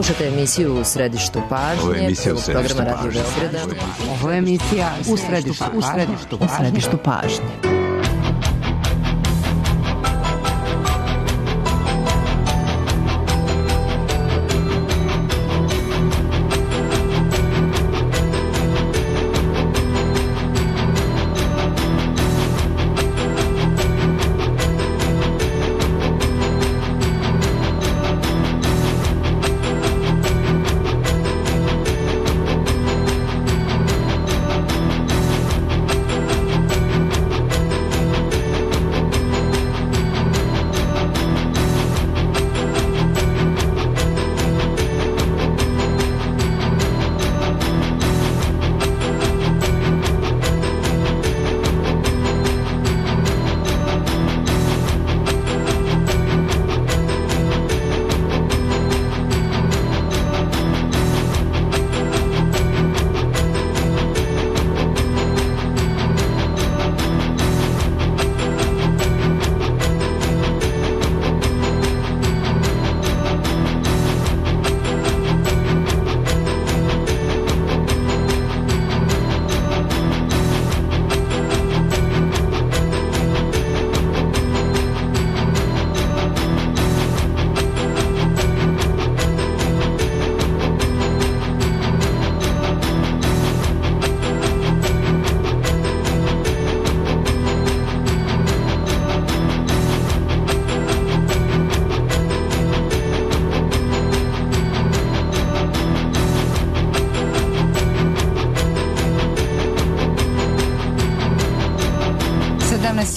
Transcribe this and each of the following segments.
Slušate emisiju U središtu pažnje, programa Radio Beograda. Ovo je emisija U središtu pažnje.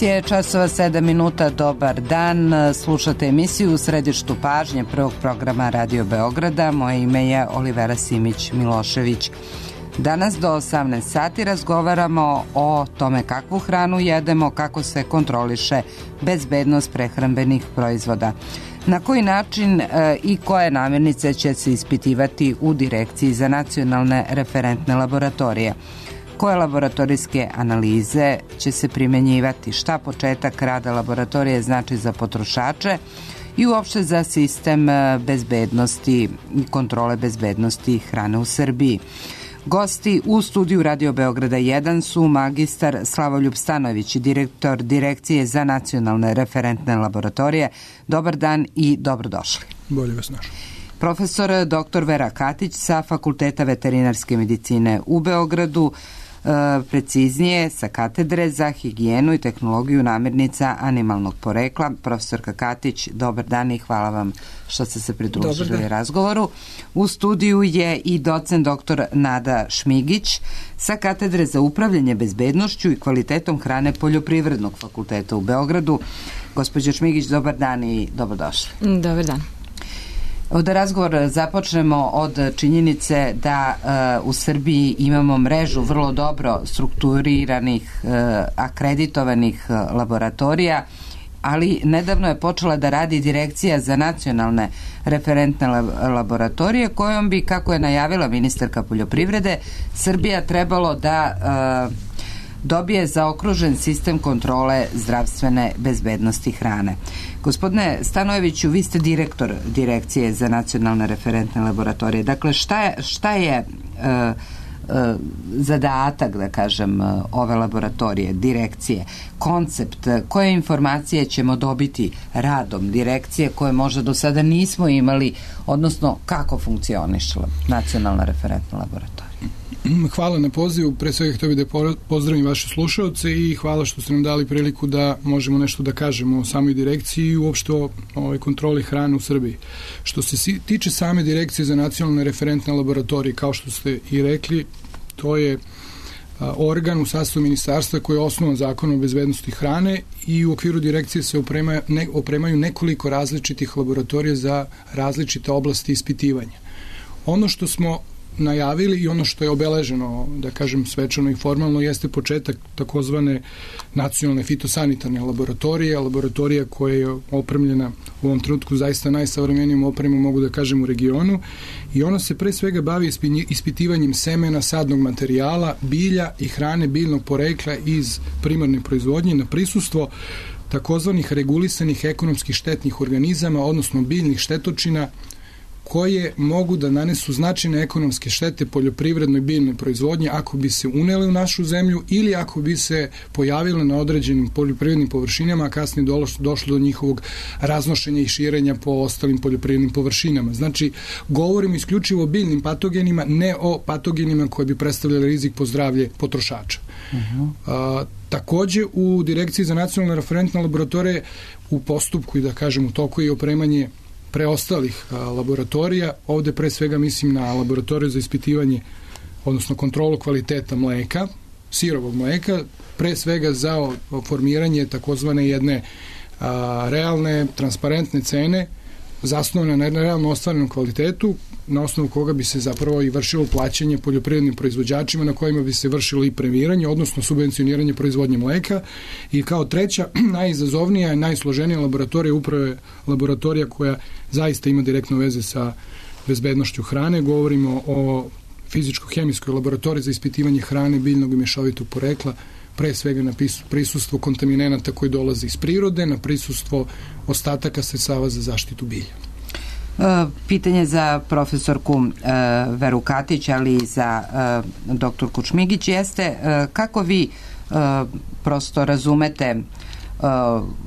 Je časova 7 minuta, dobar dan, slušate emisiju U središtu pažnje prvog programa Radio Beograda. Moje ime je Olivera Simić-Milošević. Danas do 18 sati razgovaramo o tome kakvu hranu jedemo, kako se kontroliše bezbednost prehrambenih proizvoda. Na koji način i koje namirnice će se ispitivati u Direkciji za nacionalne referentne laboratorije. Koje laboratorijske analize će se primenjivati, šta početak rada laboratorije znači za potrošače i uopšte za sistem bezbednosti i kontrole bezbednosti hrane u Srbiji. Gosti u studiju Radio Beograda 1 su magistar Slavoljub Stanojević, direktor Direkcije za nacionalne referentne laboratorije. Dobar dan i dobrodošli. Bolje vas našao. Profesor dr. Vera Katić sa Fakulteta veterinarske medicine u Beogradu, preciznije sa katedre za higijenu i tehnologiju namirnica animalnog porekla. Profesorka Katić, dobar dan i hvala vam što ste se pridružili razgovoru. U studiju je i docent dr. Nada Šmigić sa katedre za upravljanje bezbednošću i kvalitetom hrane Poljoprivrednog fakulteta u Beogradu. Gospođo Šmigić, dobar dan i dobrodošli. Dobar dan. Da razgovor započnemo od činjenice da u Srbiji imamo mrežu vrlo dobro strukturiranih, akreditovanih laboratorija, ali nedavno je počela da radi Direkcija za nacionalne referentne laboratorije kojom bi, kako je najavila ministarka poljoprivrede, Srbija trebalo da dobije zaokružen sistem kontrole zdravstvene bezbednosti hrane. Gospodine Stanojeviću, vi ste direktor Direkcije za nacionalne referentne laboratorije. Dakle, šta je zadatak, da kažem, ove laboratorije, direkcije, koncept, koje informacije ćemo dobiti radom direkcije koje možda do sada nismo imali, odnosno kako funkcioniše nacionalna referentna laboratorija? Hvala na pozivu, pre svega htio bih da pozdravim vaše slušaoce i hvala što ste nam dali priliku da možemo nešto da kažemo o samoj direkciji i uopšte o kontroli hrane u Srbiji. Što se tiče same Direkcije za nacionalne referentne laboratorije, kao što ste i rekli, to je organ u sastavu ministarstva koji je osnovan Zakonom o bezbednosti hrane i u okviru direkcije se opremaju nekoliko različitih laboratorija za različite oblasti ispitivanja. Ono što smo najavili i ono što je obeleženo, da kažem, svečano i formalno, jeste početak takozvane nacionalne fitosanitarne laboratorija koja je opremljena u ovom trenutku zaista najsavremenijom opremom, mogu da kažem, u regionu, i ona se pre svega bavi ispitivanjem semena, sadnog materijala, bilja i hrane biljnog porekla iz primarne proizvodnje na prisustvo takozvanih regulisanih ekonomskih štetnih organizama, odnosno biljnih štetočina, koje mogu da nanesu značajne ekonomske štete poljoprivrednoj biljnoj proizvodnji ako bi se unele u našu zemlju ili ako bi se pojavile na određenim poljoprivrednim površinama, a kasnije došlo do njihovog raznošenja i širenja po ostalim poljoprivrednim površinama. Znači, govorimo isključivo o biljnim patogenima, ne o patogenima koji bi predstavljali rizik po zdravlje potrošača. Takođe, u Direkciji za nacionalne referentne laboratorije u postupku i da kažem u toku je opremanje preostalih laboratorija. Ovde pre svega mislim na laboratoriju za ispitivanje, odnosno kontrolu kvaliteta mleka, sirovog mleka, pre svega za formiranje takozvane jedne realne, transparentne cene zasnovane na realno ostvarenom kvalitetu, na osnovu koga bi se zapravo i vršilo plaćanje poljoprivrednim proizvođačima na kojima bi se vršilo i premiranje, odnosno subvencioniranje proizvodnje mleka. I kao treća, najizazovnija i najsloženija laboratorija upravo je laboratorija koja zaista ima direktno veze sa bezbednošću hrane. Govorimo o fizičko-hemijskoj laboratoriji za ispitivanje hrane biljnog i mešovitog porekla, pre svega na prisustvo kontaminenata koji dolaze iz prirode, na prisustvo ostataka sredstava za zaštitu bilja. Pitanje za profesorku Veru Katić, ali i za doktorku Čmigić jeste kako vi prosto razumete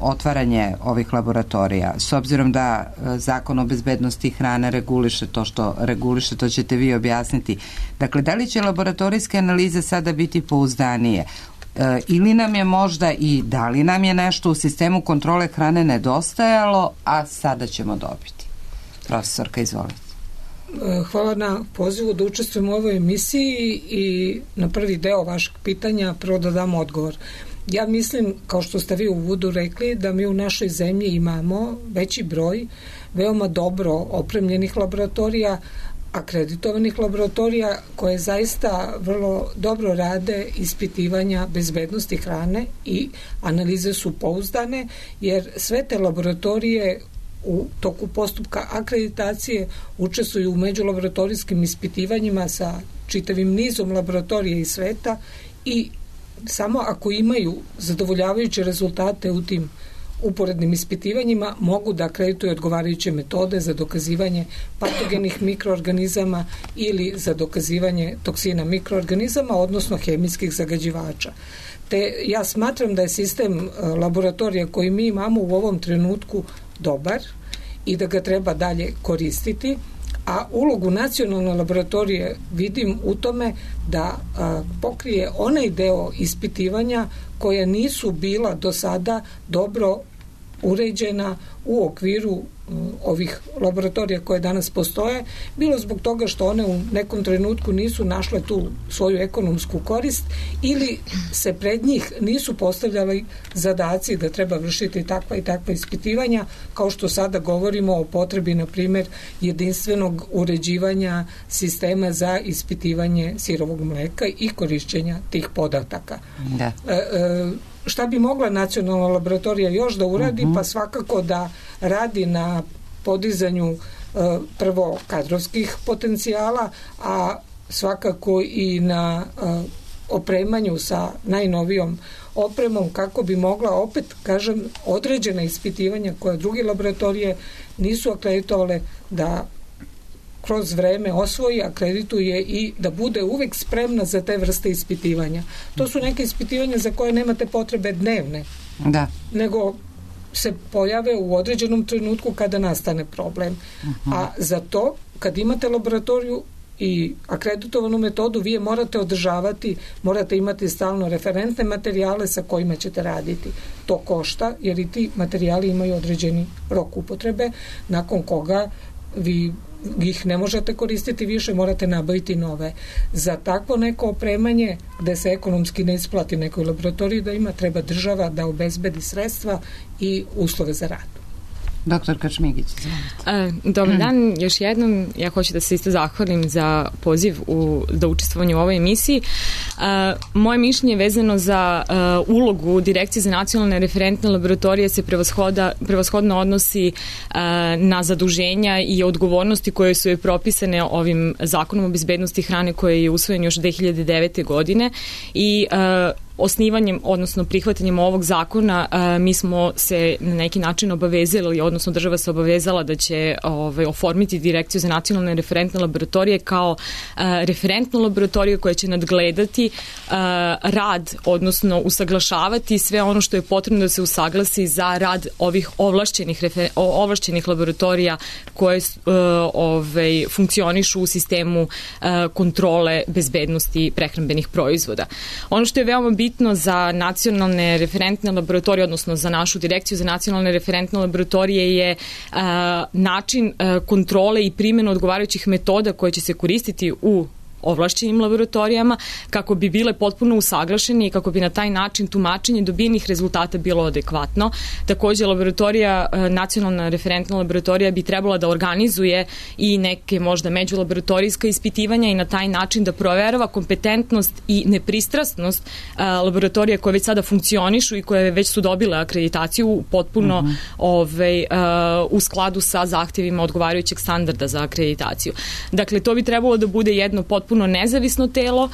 otvaranje ovih laboratorija, s obzirom da Zakon o bezbednosti hrane reguliše to što reguliše, to ćete vi objasniti. Dakle, da li će laboratorijske analize sada biti pouzdanije? Ili nam je možda i da li nam je nešto u sistemu kontrole hrane nedostajalo, a sada ćemo dobiti? Profesorka, izvolite. Hvala na pozivu da učestvujem u ovoj emisiji i na prvi deo vašeg pitanja prvo da dam odgovor. Ja mislim, kao što ste vi u uvodu rekli, da mi u našoj zemlji imamo veći broj veoma dobro opremljenih laboratorija, akreditovanih laboratorija koje zaista vrlo dobro rade ispitivanja bezbednosti hrane i analize su pouzdane, jer sve te laboratorije u toku postupka akreditacije učestvuju u međulaboratorijskim ispitivanjima sa čitavim nizom laboratorija iz sveta i samo ako imaju zadovoljavajuće rezultate u tim uporednim ispitivanjima mogu da akredituju odgovarajuće metode za dokazivanje patogenih mikroorganizama ili za dokazivanje toksina mikroorganizama, odnosno hemijskih zagađivača. Te ja smatram da je sistem laboratorija koji mi imamo u ovom trenutku dobar i da ga treba dalje koristiti, a ulogu nacionalne laboratorije vidim u tome da pokrije onaj deo ispitivanja koja nisu bila do sada dobro uređena u okviru ovih laboratorija koje danas postoje, bilo zbog toga što one u nekom trenutku nisu našle tu svoju ekonomsku korist ili se pred njih nisu postavljali zadaci da treba vršiti takva i takva ispitivanja, kao što sada govorimo o potrebi, na primjer, jedinstvenog uređivanja sistema za ispitivanje sirovog mleka i korišćenja tih podataka. Da. Šta bi mogla nacionalna laboratorija još da uradi? Pa svakako da radi na podizanju prvo kadrovskih potencijala, a svakako i na opremanju sa najnovijom opremom kako bi mogla, opet kažem, određena ispitivanja koja druge laboratorije nisu akreditovale da kroz vreme osvoji, akredituje i da bude uvek spremna za te vrste ispitivanja. To su neke ispitivanja za koje nemate potrebe dnevne, nego se pojave u određenom trenutku kada nastane problem. A za to, kad imate laboratoriju i akreditovanu metodu, vi je morate održavati, morate imati stalno referentne materijale sa kojima ćete raditi. To košta, jer i ti materijali imaju određeni rok upotrebe, nakon koga vi ih ne možete koristiti više, morate nabaviti nove. Za takvo neko opremanje gde se ekonomski ne isplati nekoj laboratoriji da ima, treba država da obezbedi sredstva i uslove za rad. Doktor Kačmigić, dobar dan, još jednom ja hoću da se isto zahvalim za poziv za učestvovanje u ovoj emisiji. Moje mišljenje vezano za ulogu Direkcije za nacionalne referentne laboratorije se prevashodno odnosi na zaduženja i odgovornosti koje su propisane ovim Zakonom o bezbednosti hrane koji je usvojen još 2009. godine i osnivanjem, odnosno prihvatanjem ovog zakona, mi smo se na neki način obavezali, odnosno država se obavezala da će oformiti Direkciju za nacionalne referentne laboratorije kao referentnu laboratoriju koja će nadgledati rad, odnosno usaglašavati sve ono što je potrebno da se usaglasi za rad ovih ovlašćenih laboratorija koje funkcionišu u sistemu kontrole bezbednosti prehrambenih proizvoda. Ono što je veoma bitno za nacionalne referentne laboratorije, odnosno za našu Direkciju za nacionalne referentne laboratorije je način kontrole i primjenu odgovarajućih metoda koje će se koristiti u ovlašćenim laboratorijama kako bi bile potpuno usaglašeni i kako bi na taj način tumačenje dobijenih rezultata bilo adekvatno. Takođe, nacionalna referentna laboratorija bi trebala da organizuje i neke možda međulaboratorijska ispitivanja i na taj način da proverava kompetentnost i nepristrasnost laboratorija koje već sada funkcionišu i koje već su dobile akreditaciju potpuno u skladu sa zahtjevima odgovarajućeg standarda za akreditaciju. Dakle, to bi trebalo da bude jedno potpuno nezavisno telo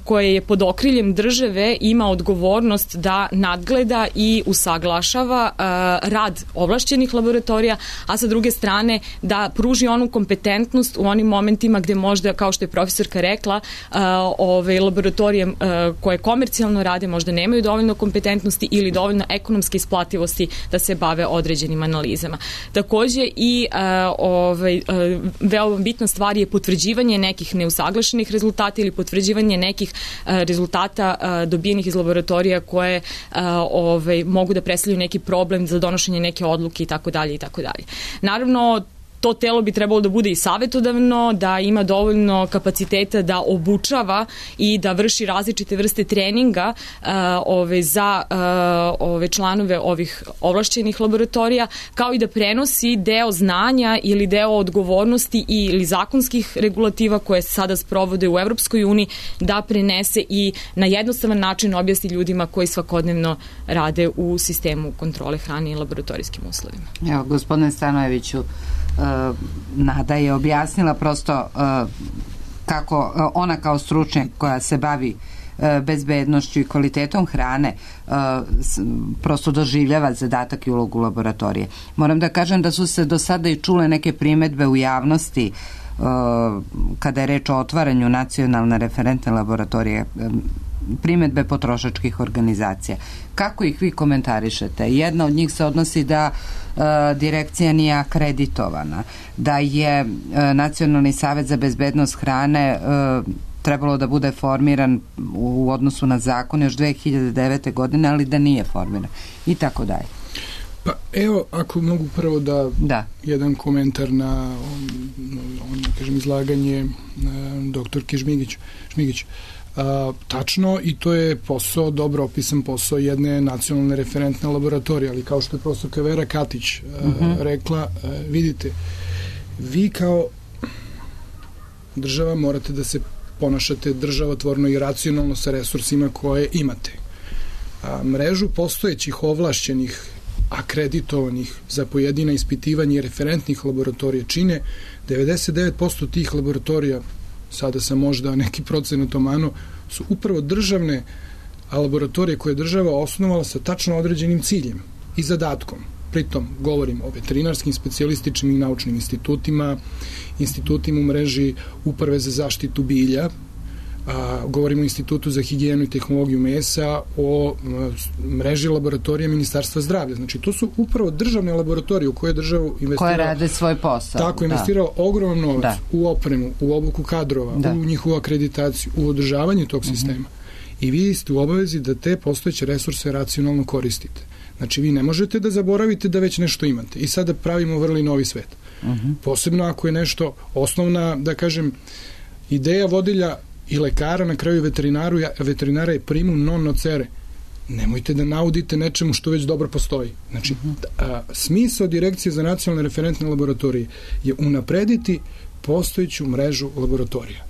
koje je pod okriljem države ima odgovornost da nadgleda i usaglašava rad ovlašćenih laboratorija, a sa druge strane da pruži onu kompetentnost u onim momentima gde možda, kao što je profesorka rekla, laboratorije koje komercijalno rade možda nemaju dovoljno kompetentnosti ili dovoljno ekonomske isplativosti da se bave određenim analizama. Takođe i veoma bitna stvar je potvrđivanje nekih neusaglašenih rezultata ili potvrđivanje nekih rezultata dobijenih iz laboratorija koje mogu da predstavljaju neki problem za donošenje neke odluke i tako dalje i tako dalje. Naravno, to telo bi trebalo da bude i savjetodavno, da ima dovoljno kapaciteta da obučava i da vrši različite vrste treninga za članove ovih ovlašćenih laboratorija, kao i da prenosi deo znanja ili deo odgovornosti ili zakonskih regulativa koje se sada sprovode u Evropskoj uniji, da prenese i na jednostavan način objasni ljudima koji svakodnevno rade u sistemu kontrole hrane i laboratorijskim uslovima. Evo, gospodine Stanojeviću, Nada je objasnila prosto kako ona kao stručnjak koja se bavi bezbednošću i kvalitetom hrane prosto doživljava zadatak i ulogu laboratorije. Moram da kažem da su se do sada i čule neke primedbe u javnosti kada je reč o otvaranju nacionalne referentne laboratorije, primedbe potrošačkih organizacija. Kako ih vi komentarišete? Jedna od njih se odnosi da direkcija nije akreditovana, da je Nacionalni savet za bezbednost hrane trebalo da bude formiran u odnosu na zakon još 2009. godine, ali da nije formiran i tako dalje. Pa evo, ako mogu prvo da jedan komentar kažem, izlaganje doktorke Šmigić. Tačno, i to je posao, dobro opisan posao jedne nacionalne referentne laboratorije, ali kao što je profesorka Vera Katić rekla, vidite, vi kao država morate da se ponašate državotvorno i racionalno sa resursima koje imate. Mrežu postojećih ovlašćenih, akreditovanih za pojedina ispitivanja i referentnih laboratorija čine 99% tih laboratorija, sada sam možda neki procenat omano, su upravo državne laboratorije koje je država osnovala sa tačno određenim ciljem i zadatkom. Pritom govorim o veterinarskim, specijalističnim i naučnim institutima u mreži Uprave za zaštitu bilja, govorimo o Institutu za higijenu i tehnologiju mesa, o mreži laboratorija Ministarstva zdravlja. Znači, to su upravo državne laboratorije u koje je država investirala. Koje rade svoj posao. Tako, investirala ogroman novac u opremu, u obuku kadrova, u njihovu akreditaciju, u održavanje tog sistema. I vi ste u obavezi da te postojeće resurse racionalno koristite. Znači, vi ne možete da zaboravite da već nešto imate. I sada pravimo vrli novi svet. Posebno ako je nešto osnovna, da kažem, ideja vodilja i lekara, na kraju veterinara je primum non nocere. Nemojte da naudite nečemu što već dobro postoji. Znači, smisao Direkcije za nacionalne referentne laboratorije je unaprediti postojeću mrežu laboratorija.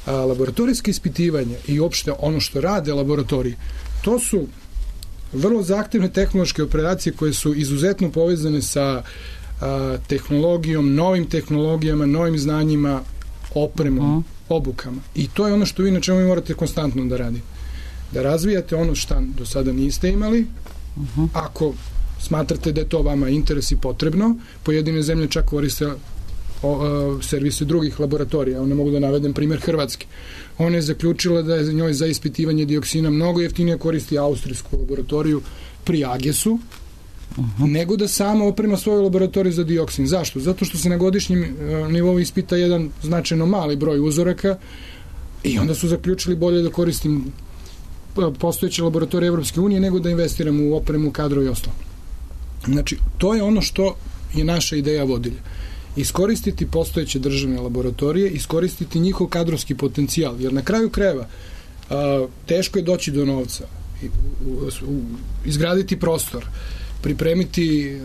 Laboratorijske ispitivanja i uopšte ono što rade laboratorije, to su vrlo zahtevne tehnološke operacije koje su izuzetno povezane sa tehnologijom, novim tehnologijama, novim znanjima, opremom, obukama. I to je ono što vi na čemu vi morate konstantno da radite. da razvijate ono što do sada niste imali, ako smatrate da je to vama interes i potrebno. Pojedine zemlje čak koriste servise drugih laboratorija. Ne mogu da navedem primjer Hrvatske. Ona je zaključila da je njoj za ispitivanje dioksina mnogo jeftinije koristi austrijsku laboratoriju pri Agesu, nego da sama oprema svoju laboratoriju za dioksin. Zašto? Zato što se na godišnjem nivou ispita jedan značajno mali broj uzoraka i onda su zaključili bolje da koristim postojeće laboratorije Evropske unije nego da investiram u opremu, kadro i ostalo. Znači, to je ono što je naša ideja vodilja. Iskoristiti postojeće državne laboratorije, iskoristiti njihov kadrovski potencijal, jer na kraju krajeva teško je doći do novca, izgraditi prostor, pripremiti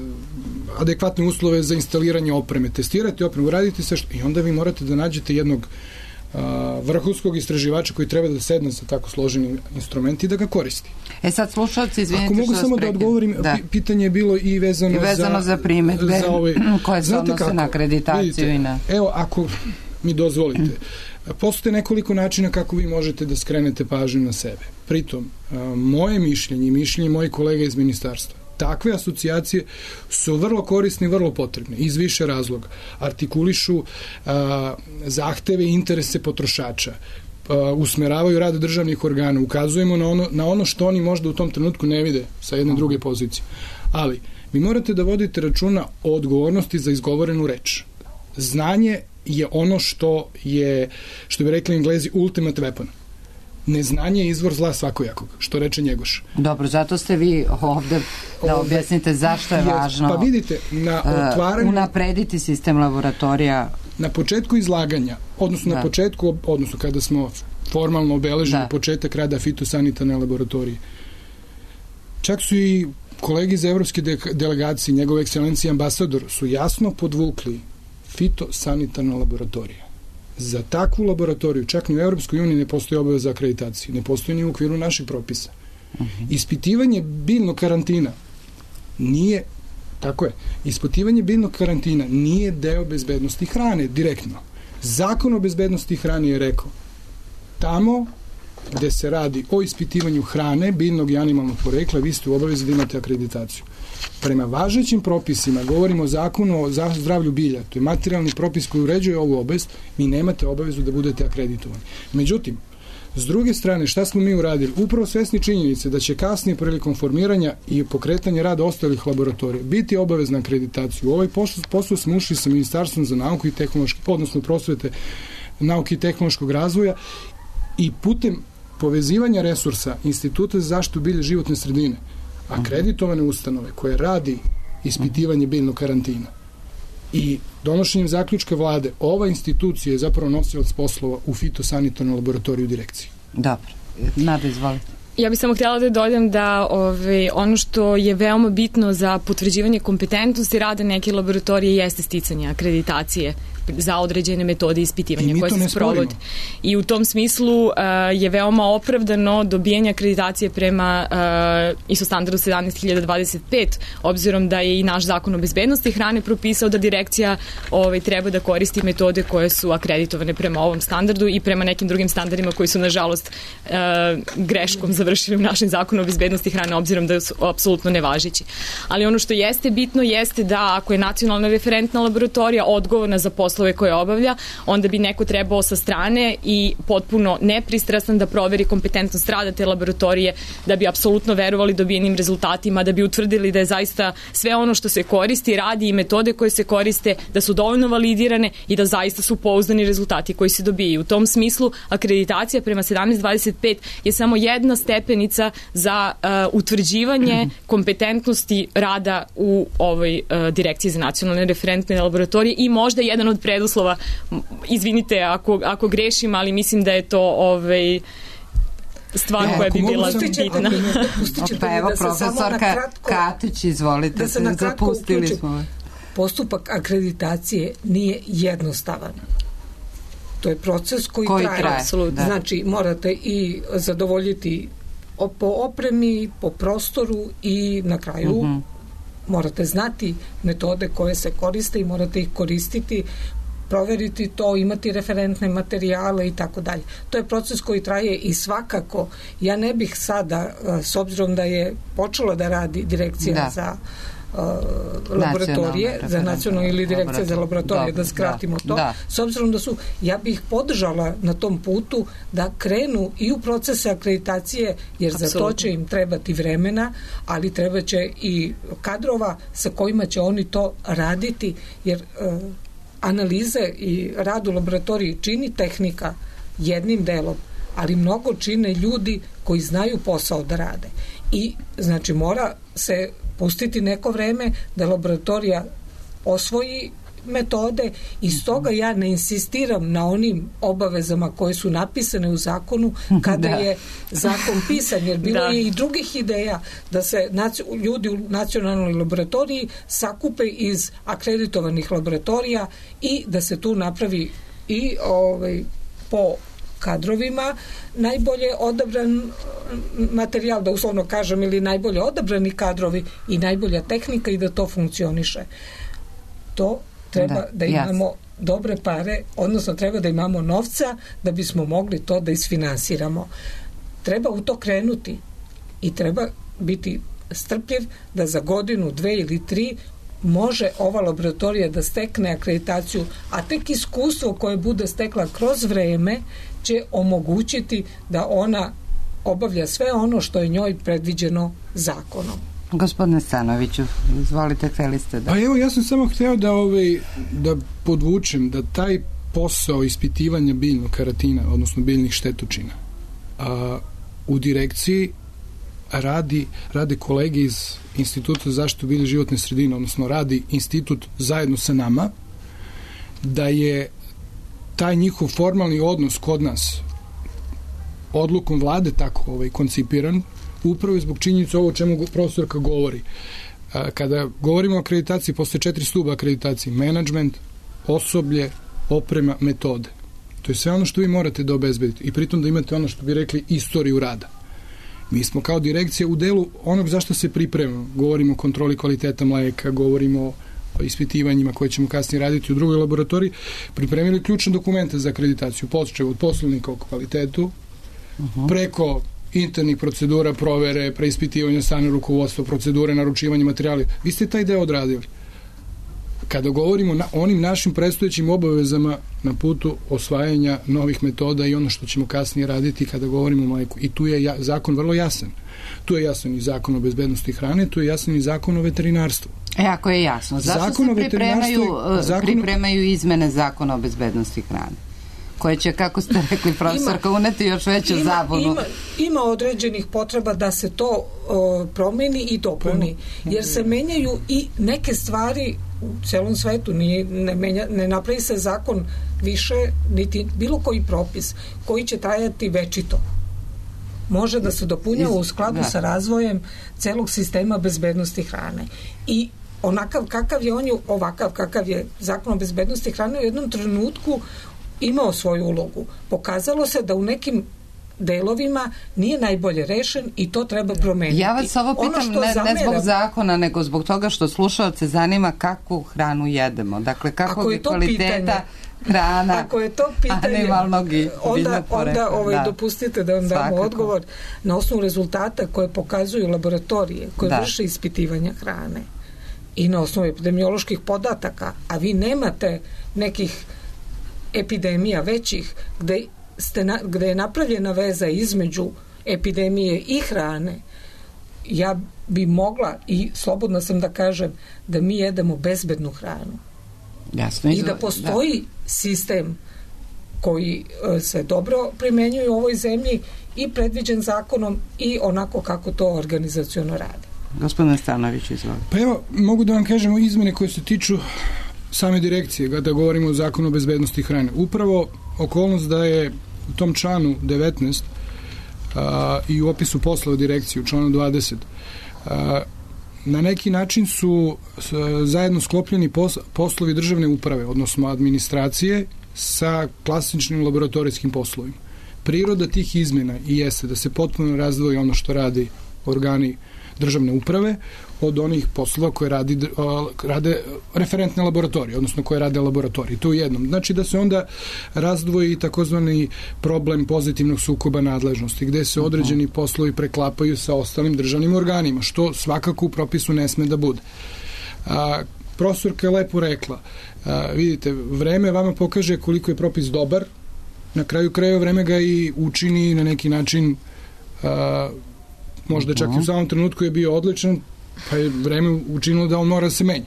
adekvatne uslove za instaliranje opreme, testirati opremu, raditi sve što... I onda vi morate da nađete jednog vrhunskog istraživača koji treba da sedne sa tako složenim instrumenti i da ga koristi. Sad slušalci, izvinite što vas prekidam. Ako mogu samo da odgovorim, pitanje je bilo i vezano za primetbe koje se odnose na akreditaciju. Vidite, i na... Evo, ako mi dozvolite, postoje nekoliko načina kako vi možete da skrenete pažnju na sebe. Pritom, moje mišljenje i mišljenje mojih kolega iz ministarstva, takve asocijacije su vrlo korisne i vrlo potrebne iz više razloga. Artikulišu zahteve i interese potrošača, usmeravaju rad državnih organa, ukazujemo na ono što oni možda u tom trenutku ne vide sa jedne druge pozicije. Ali, vi morate da vodite računa o odgovornosti za izgovorenu reč. Znanje je ono što bi rekli Englezi, ultimate weapon. Neznanje je izvor zla svakojakog, što reče Njegoš. Dobro, zato ste vi ovde da objasnite zašto je važno pa vidite, na otvaranju, unaprediti sistem laboratorija. Na početku izlaganja, odnosno kada smo formalno obeležili početak rada fitosanitarne laboratorije, čak su i kolegi iz evropske delegacije, njegove ekscelencije ambasador, su jasno podvukli fitosanitarna laboratorija. Za takvu laboratoriju, čak ni u Evropskoj uniji ne postoji obaveza akreditacije, ne postoji ni u okviru naših propisa. Ispitivanje biljnog karantina nije deo bezbednosti hrane direktno. Zakon o bezbednosti hrane je rekao, tamo gde se radi o ispitivanju hrane, biljnog i animalnog porekla, vi ste u obavezi da imate akreditaciju. Prema važećim propisima, govorimo o zakonu o zdravlju bilja, to je materijalni propis koji uređuje ovu obavest, vi nemate obavezu da budete akreditovani. Međutim, s druge strane, šta smo mi uradili? Upravo svesni činjenice da će kasnije prilikom formiranja i pokretanja rada ostalih laboratorija biti obavezna akreditacija. U ovaj posao smo ušli sa Ministarstvom za nauku i odnosno prosvete, nauke i tehnološkog razvoja i putem povezivanja resursa Instituta za zaštitu bilja i životne sredine, akreditovane ustanove koje radi ispitivanje biljnog karantina i donošenjem zaključka vlade, ova institucija je zapravo nosilac poslova u fitosanitarnoj laboratoriju direkcije. Dobro. Nada, izvolite. Ja bih samo htjela da dodam da ono što je veoma bitno za potvrđivanje kompetentnosti rada neke laboratorije jeste sticanje akreditacije za određene metode ispitivanja koje se sprovode. I u tom smislu je veoma opravdano dobijanje akreditacije prema ISO standardu 17025, obzirom da je i naš zakon o bezbednosti hrane propisao da direkcija treba da koristi metode koje su akreditovane prema ovom standardu i prema nekim drugim standardima koji su nažalost greškom završili u našem zakonu o bezbednosti hrane, obzirom da su apsolutno nevažeći. Ali ono što jeste bitno jeste da ako je nacionalna referentna laboratorija odgovorna za poslove koje obavlja, onda bi neko trebao sa strane i potpuno nepristrastan da proveri kompetentnost rada te laboratorije, da bi apsolutno verovali dobijenim rezultatima, da bi utvrdili da je zaista sve ono što se koristi, radi i metode koje se koriste, da su dovoljno validirane i da zaista su pouzdani rezultati koji se dobijaju. U tom smislu akreditacija prema 1725 je samo jedna stepenica za utvrđivanje kompetentnosti rada u ovoj direkciji za nacionalne referentne laboratorije i možda jedan od preduslova, izvinite ako grešim, ali mislim da je to stvar koja bi bila bitna. Pa evo, profesorka Katić, izvolite, zapustili smo. Postupak akreditacije nije jednostavan. To je proces koji traje. Znači, morate i zadovoljiti po opremi, po prostoru i na kraju morate znati metode koje se koriste i morate ih koristiti proveriti to, imati referentne materijale i tako dalje. To je proces koji traje i svakako ja ne bih sada, s obzirom da je počela da radi direkcija za laboratorije, za nacionalno ili direkcija za laboratorije, da skratimo to, s obzirom da ja bih podržala na tom putu da krenu i u procese akreditacije, jer za to će im trebati vremena, ali treba će i kadrova sa kojima će oni to raditi, jer analize i rad u laboratoriji čini tehnika jednim delom, ali mnogo čine ljudi koji znaju posao da rade. I znači mora se pustiti neko vreme da laboratorija osvoji metode i stoga ja ne insistiram na onim obavezama koje su napisane u zakonu kada je zakon pisan, jer bilo je i drugih ideja da se ljudi u nacionalnoj laboratoriji sakupe iz akreditovanih laboratorija i da se tu napravi i po kadrovima najbolje odabran materijal, da uslovno kažem, ili najbolje odabrani kadrovi i najbolja tehnika i da to funkcioniše. To treba da imamo dobre pare, odnosno treba da imamo novca da bismo mogli to da isfinansiramo. Treba u to krenuti i treba biti strpljiv da za godinu, 2 ili 3 može ova laboratorija da stekne akreditaciju, a tek iskustvo koje bude stekla kroz vreme će omogućiti da ona obavlja sve ono što je njoj predviđeno zakonom. Gospodine Stanoviću, izvolite, hteli ste da... Pa evo, ja sam samo hteo da podvučem da taj posao ispitivanja biljnog karatina, odnosno biljnih štetočina, u direkciji rade kolege iz Instituta za zaštitu bilja i životne sredine, odnosno radi institut zajedno sa nama, da je taj njihov formalni odnos kod nas odlukom vlade tako koncipiran, upravo zbog činjenice ovo o čemu profesorka govori. Kada govorimo o akreditaciji, postoje 4 stuba akreditacije: menadžment, osoblje, oprema, metode. To je sve ono što vi morate da obezbedite i pritom da imate ono što bi rekli istoriju rada. Mi smo kao direkcija u delu onog zašto se pripremamo. Govorimo o kontroli kvaliteta mleka, govorimo o ispitivanjima koje ćemo kasnije raditi u drugoj laboratoriji, pripremili ključne dokumente za akreditaciju, počev od poslovnika o kvalitetu, preko internih procedura, provere, preispitivanja strane rukovodstva, procedure, naručivanja materijala. Vi ste taj deo odradili. Kada govorimo o onim našim predstojećim obavezama na putu osvajanja novih metoda i ono što ćemo kasnije raditi kada govorimo o mleku. I tu je zakon vrlo jasan. Tu je jasan i zakon o bezbednosti hrane, tu je jasan i zakon o veterinarstvu. Ako je jasno. Zašto se pripremaju izmene zakona o bezbednosti hrane? Koje će, kako ste rekli, profesorka, uneti još veću zabunu. Ima određenih potreba da se to promeni i dopuni, jer se menjaju i neke stvari u celom svetu. Ne napravi se zakon više, niti bilo koji propis koji će trajati večito. Može da se dopunjava u skladu sa razvojem celog sistema bezbednosti hrane. I onakav kakav je ovakav kakav je zakon o bezbednosti hrane u jednom trenutku imao svoju ulogu. Pokazalo se da u nekim delovima nije najbolje rešen i to treba promeniti. Ja vas ovo pitam ne zbog zakona, nego zbog toga što slušaoce zanima kakvu hranu jedemo. Dakle, kakvog je kvaliteta hrana, ako je to pitanje, animalnog i biljnog porekla. Onda dopustite da vam damo odgovor na osnovu rezultata koje pokazuju laboratorije, koje vrše ispitivanja hrane i na osnovu epidemioloških podataka, a vi nemate nekih epidemija većih gde je napravljena veza između epidemije i hrane. Ja bi mogla i slobodna sam da kažem da mi jedemo bezbednu hranu. Jasno, i da postoji sistem koji se dobro primenjuje u ovoj zemlji i predviđen zakonom i onako kako to organizaciono radi. Gospodine Stanović, izvolite. Pa evo, mogu da vam kažemo izmene koje se tiču same direkcije, kada govorimo o zakonu o bezbednosti hrane. Upravo okolnost da je u tom članu 19 i u opisu poslova direkcije u članu 20 na neki način su zajedno sklopljeni poslovi državne uprave, odnosno administracije sa klasičnim laboratorijskim poslovima. Priroda tih izmena i jeste da se potpuno razdvoji ono što radi organi državne uprave od onih poslova koje rade referentne laboratorije, odnosno koje rade laboratorije. To je jednom. Znači da se onda razdvoji takozvani problem pozitivnog sukoba nadležnosti, gde se određeni poslovi preklapaju sa ostalim državnim organima, što svakako u propisu ne sme da bude. Profesorka je lepo rekla, vidite, vreme vama pokaže koliko je propis dobar, na kraju krajeva vreme ga i učini na neki način, možda čak i u samom trenutku je bio odličan, pa je vreme učinilo da on mora da se menja.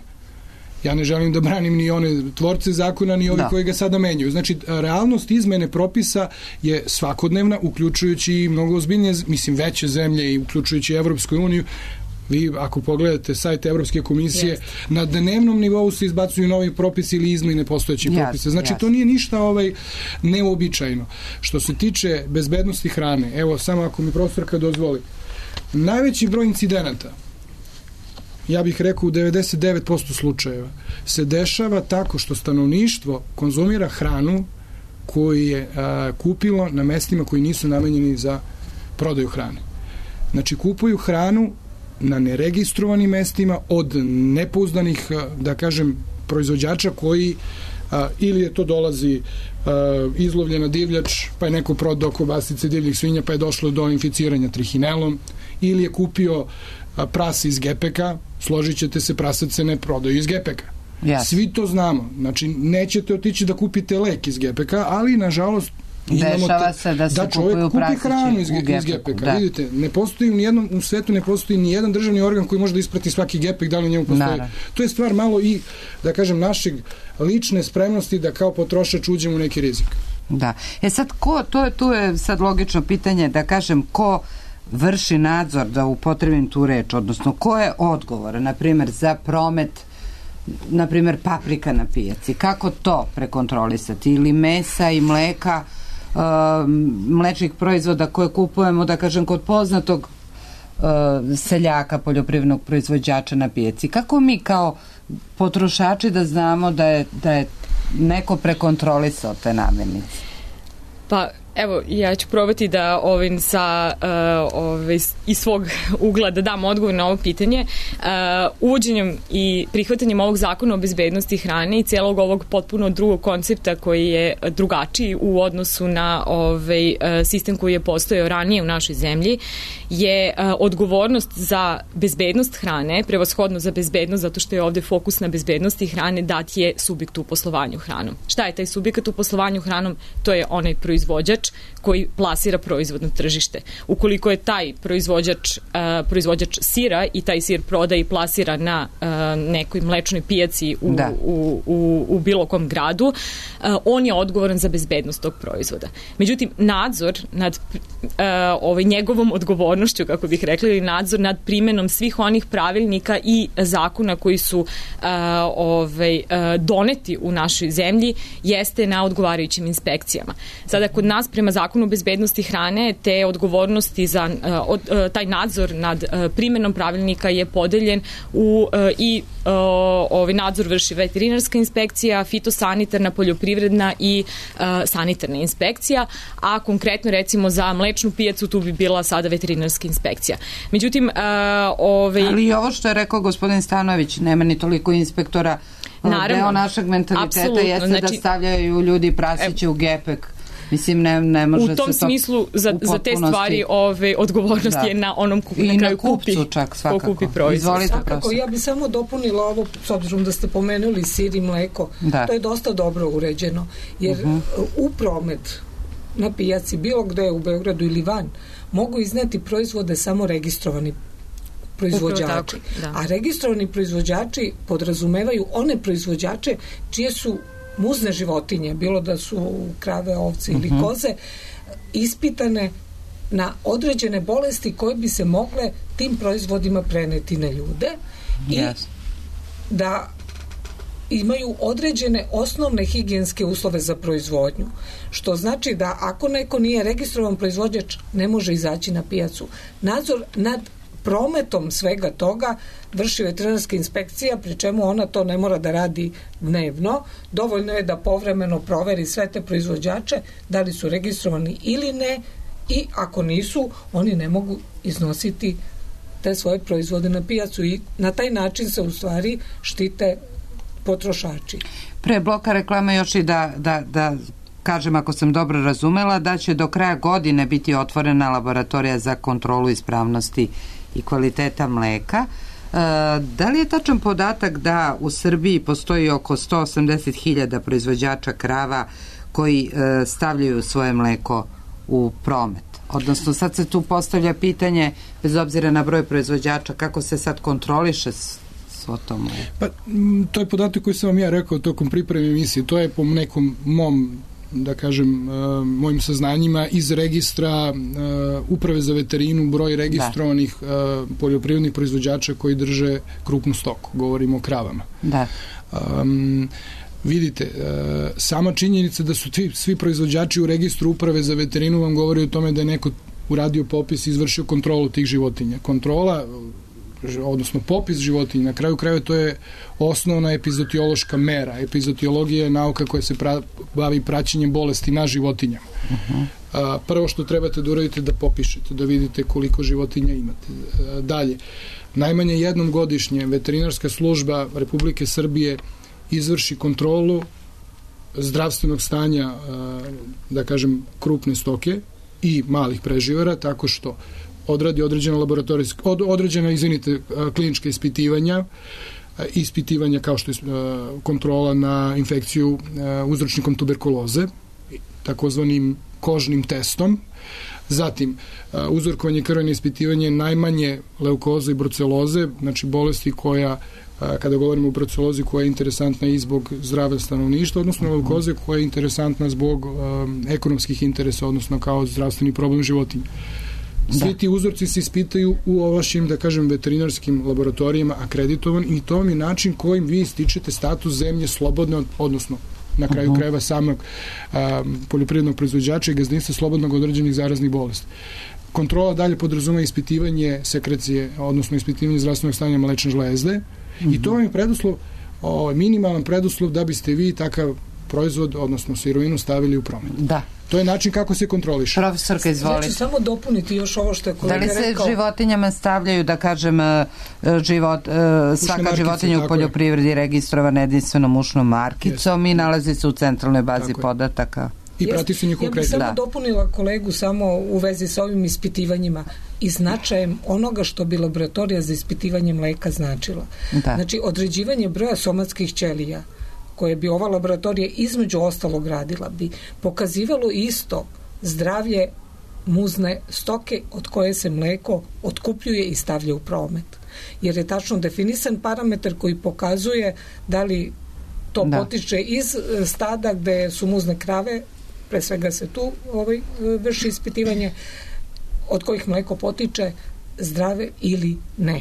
Ja ne želim da branim ni one tvorce zakona, ni ovi koji ga sada menjaju. Znači, realnost izmene propisa je svakodnevna, uključujući i mnogo ozbiljnije, mislim, veće zemlje i uključujući Evropsku uniju. Vi, ako pogledate sajt Evropske komisije, na dnevnom nivou se izbacuju novi propisi ili izmene postojećih propisa. Znači, to nije ništa neuobičajeno. Što se tiče bezbednosti hrane, evo, samo ako mi profesorka dozvoli, najveći broj incidenata, ja bih rekao u 99% slučajeva, se dešava tako što stanovništvo konzumira hranu koju je kupilo na mestima koji nisu namenjeni za prodaju hrane. Znači, kupuju hranu na neregistrovanim mestima od nepouzdanih, da kažem, proizvođača koji ili je to dolazi izlovljena divljač, pa je neko prodao kobasice divljih svinja, pa je došlo do inficiranja trihinelom, ili je kupio prase iz gepeka, složit ćete se, prasac se ne prodaju iz gepeka. Svi to znamo. Znači, nećete otići da kupite lek iz gepeka, ali, nažalost, dešava se da se kupuju prasići hranu iz gepeka. Vidite, ne postoji u svetu, ne postoji ni jedan državni organ koji može da isprati svaki gepek, da li u njemu postoji. To je stvar malo i, da kažem, našeg lične spremnosti da kao potrošač uđemo u neki rizik. Da. Sad, tu je sad logično pitanje, da kažem, ko vrši nadzor, da upotrebim tu reč, odnosno ko je odgovoran, na primjer, za promet, na primjer, paprika na pijaci. Kako to prekontrolisati? Ili mesa i mleka, mlečnih proizvoda koje kupujemo, da kažem, kod poznatog seljaka, poljoprivrednog proizvođača na pijaci. Kako mi kao potrošači da znamo da je neko prekontrolisao te namirnice? Pa, evo, ja ću probati da iz svog ugla da dam odgovor na ovo pitanje. Uvođenjem i prihvatanjem ovog zakona o bezbednosti hrane i celog ovog potpuno drugog koncepta koji je drugačiji u odnosu na sistem koji je postojao ranije u našoj zemlji, je odgovornost za bezbednost hrane, prevashodno za bezbednost, zato što je ovde fokus na bezbednosti hrane, dat je subjektu u poslovanju hranom. Šta je taj subjekat u poslovanju hranom? To je onaj proizvođač koji plasira proizvod na tržište. Ukoliko je taj proizvođač sira i taj sir prodaje i plasira na nekoj mlečnoj pijaci u bilo kom gradu, on je odgovoran za bezbednost tog proizvoda. Međutim, nadzor nad njegovom odgovornošću, kako bih rekla, ili nadzor nad primenom svih onih pravilnika i zakona koji su doneti u našoj zemlji jeste na odgovarajućim inspekcijama. Sada, kod nas prema zakonu o bezbednosti hrane te odgovornosti za taj nadzor nad primenom pravilnika je podeljen i nadzor vrši veterinarska inspekcija, fitosanitarna, poljoprivredna i sanitarna inspekcija, a konkretno recimo za mlečnu pijacu tu bi bila sada veterinarska inspekcija. Međutim, ali i ovo što je rekao gospodin Stanojević, nema ni toliko inspektora. Deo našeg mentaliteta jeste da stavljaju ljudi prasiće u gepek. Mislim, ne može se to... U tom smislu, za te stvari odgovornost je na onom na kraju kupcu čak, svakako. Kupi proizvod. Svakako, ja bi samo dopunila ovo, s obzirom da ste pomenuli sir i mleko, to je dosta dobro uređeno, jer u promet na pijaci, bilo gde u Beogradu ili van, mogu izneti proizvode samo registrovani proizvođači. A registrovani proizvođači podrazumevaju one proizvođače čije su muzne životinje, bilo da su krave, ovce ili koze, ispitane na određene bolesti koje bi se mogle tim proizvodima preneti na ljude i da imaju određene osnovne higijenske uslove za proizvodnju. Što znači da ako neko nije registrovan proizvođač, ne može izaći na pijacu. Nadzor nad prometom svega toga vrši veterinarska inspekcija, pri čemu ona to ne mora da radi dnevno. Dovoljno je da povremeno proveri sve te proizvođače, da li su registrovani ili ne, i ako nisu, oni ne mogu iznositi te svoje proizvode na pijacu i na taj način se u stvari štite potrošači. Pre bloka reklame još i da kažem, ako sam dobro razumela, da će do kraja godine biti otvorena laboratorija za kontrolu ispravnosti i kvaliteta mleka. Da li je tačan podatak da u Srbiji postoji oko 180.000 proizvođača krava koji stavljaju svoje mleko u promet? Odnosno, sad se tu postavlja pitanje, bez obzira na broj proizvođača, kako se sad kontroliše svo to mleko? Pa, to je podatak koji sam vam ja rekao tokom pripreme emisije. To je po nekom da kažem, mojim saznanjima iz registra Uprave za veterinu, broj registrovanih poljoprivrednih proizvođača koji drže krupnu stoku. Govorimo o kravama. Da. Vidite, sama činjenica da su svi proizvođači u registru Uprave za veterinu vam govori o tome da je neko uradio popis i izvršio kontrolu tih životinja. Kontrola, odnosno popis životinja, na kraju krajeva to je osnovna epizootiološka mera. Epizootiologija je nauka koja se bavi praćenjem bolesti na životinjama. Prvo što trebate da uradite da popišete, da vidite koliko životinja imate. Dalje, najmanje jednom godišnje veterinarska služba Republike Srbije izvrši kontrolu zdravstvenog stanja, da kažem, krupne stoke i malih preživara, tako što odradi određena klinička ispitivanja kao što je kontrola na infekciju uzročnikom tuberkuloze, takozvanim kožnim testom, zatim uzorkovanje krvene ispitivanje najmanje leukoze i bruceloze, znači bolesti koja, kada govorimo o brucelozi, koja je interesantna i zbog zdravlja stanovništva, odnosno leukoze koja je interesantna zbog ekonomskih interesa, odnosno kao zdravstveni problem životinja. Svi ti uzorci se ispitaju u ovlašćenim, da kažem, veterinarskim laboratorijama akreditovan i to je način kojim vi stičete status zemlje slobodne, odnosno na kraju krajeva samog poljoprivrednog proizvođača i gazdinstva slobodnog od određenih zaraznih bolesti. Kontrola dalje podrazumeva ispitivanje sekrecije, odnosno ispitivanje zdravstvenog stanja mlečne žlezde i to vam je preduslov, minimalan preduslov da biste vi takav proizvod, odnosno sirovinu stavili u promet. Da. To je način kako se kontroliše. Profesorka, izvolite. Znači, samo dopuniti još ovo što je kolega rekao. Da li se životinjama stavljaju, da kažem, svaka životinja u poljoprivredi registrovana jedinstvenom ušnom markicom i nalazi se u centralnoj bazi podataka? I prati se njihov kretanje. Ja bih samo dopunila kolegu samo u vezi sa ovim ispitivanjima i značajem onoga što bi laboratorija za ispitivanje mleka značila. Da. Znači, određivanje broja somatskih ćelija koje bi ova laboratorija između ostalog radila bi pokazivalo isto zdravlje muzne stoke od koje se mleko otkupljuje i stavlja u promet. Jer je tačno definisan parametar koji pokazuje da li to potiče iz stada gde su muzne krave, pre svega se tu vrši ispitivanje, od kojih mleko potiče, zdrave ili ne.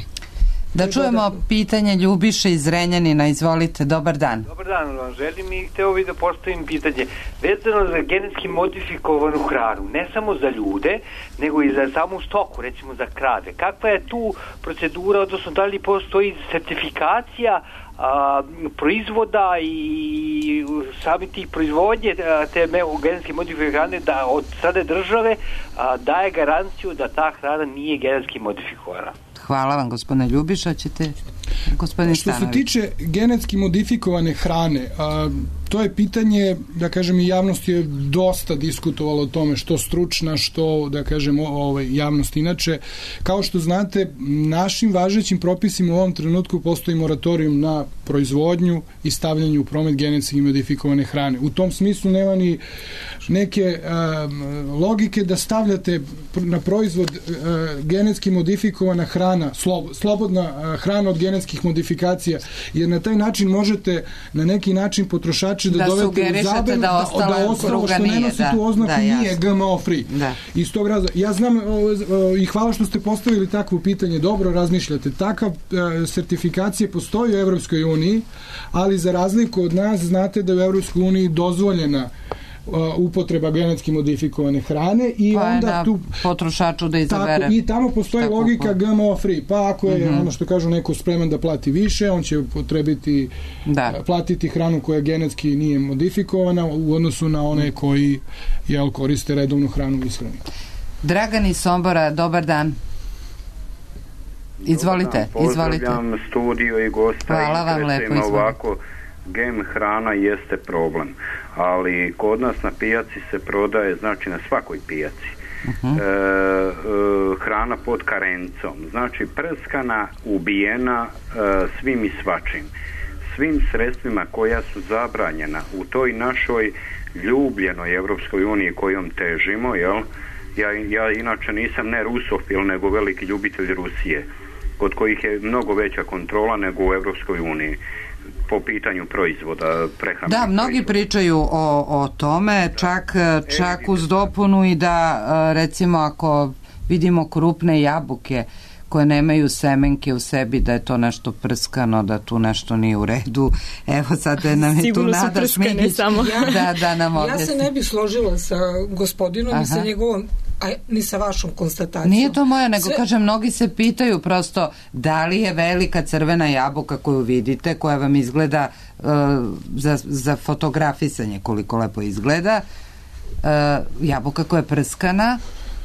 Da čujemo pitanje Ljubiše iz Zrenjanina. Izvolite, dobar dan. Dobar dan vam želim i hteo bih da postavim pitanje vezano za genetski modifikovanu hranu, ne samo za ljude, nego i za samu stoku, recimo za krave. Kakva je tu procedura, odnosno da li postoji sertifikacija proizvoda i sami tih proizvodnje te genetski modifikovane hrane da od strane države daje garanciju da ta hrana nije genetski modifikovana? Hvala vam, gospodine Ljubiša. Ćete, gospodin Stanović? Što se tiče genetski modifikovane hrane, to je pitanje, da kažem, i javnost je dosta diskutovala o tome, što stručna, što, da kažem, javnost inače. Kao što znate, našim važećim propisima u ovom trenutku postoji moratorijum na proizvodnju i stavljanju u promet genetski modifikovane hrane. U tom smislu nema ni neke logike da stavljate na proizvod genetski modifikovana hrana, slobodna hrana od genetskih modifikacija, jer na taj način možete na neki način potrošače da dovete u zabelu da ostalo što ne nosi tu oznaku nije GMO free. Iz tog razloga, ja znam i hvala što ste postavili takvo pitanje, dobro razmišljate, takav sertifikacije postoji u Evropskoj uniji, ali za razliku od nas znate da je u Evropskoj uniji dozvoljena upotreba genetski modifikovane hrane i pa onda tu potrošaču da izabere. Tako, i tamo postoji logika GMO free, pa ako je ono što kažu neko spreman da plati više, on će potrebiti platiti hranu koja genetski nije modifikovana u odnosu na one koji koriste redovnu hranu u ishrani. Dragan iz Sombora, dobar dan. Izvolite. Pozdravljam studio i gosta. Hvala vam lepo, izvolite. Ovako, GM hrana jeste problem, ali kod nas na pijaci se prodaje, znači na svakoj pijaci, hrana pod karencom, znači prskana, ubijena svim i svačim, svim sredstvima koja su zabranjena u toj našoj ljubljenoj Evropskoj uniji kojom težimo, jel? Ja inače nisam ne rusofil, nego veliki ljubitelj Rusije, kod kojih je mnogo veća kontrola nego u Evropskoj uniji po pitanju proizvoda, prehrambenih. Da, mnogi pričaju o tome, čak uz dopunu i da recimo ako vidimo krupne jabuke koje nemaju semenke u sebi, da je to nešto prskano, da tu nešto nije u redu. Evo sad nam je tu Nada Šmigić. Da nam objasni. Ja se ne bih složila sa gospodinom i sa njegovom, ni sa vašom konstatacijom. Nije to moja, nego kažem, mnogi se pitaju prosto da li je velika crvena jabuka koju vidite, koja vam izgleda za fotografisanje koliko lepo izgleda, jabuka koja je prskana,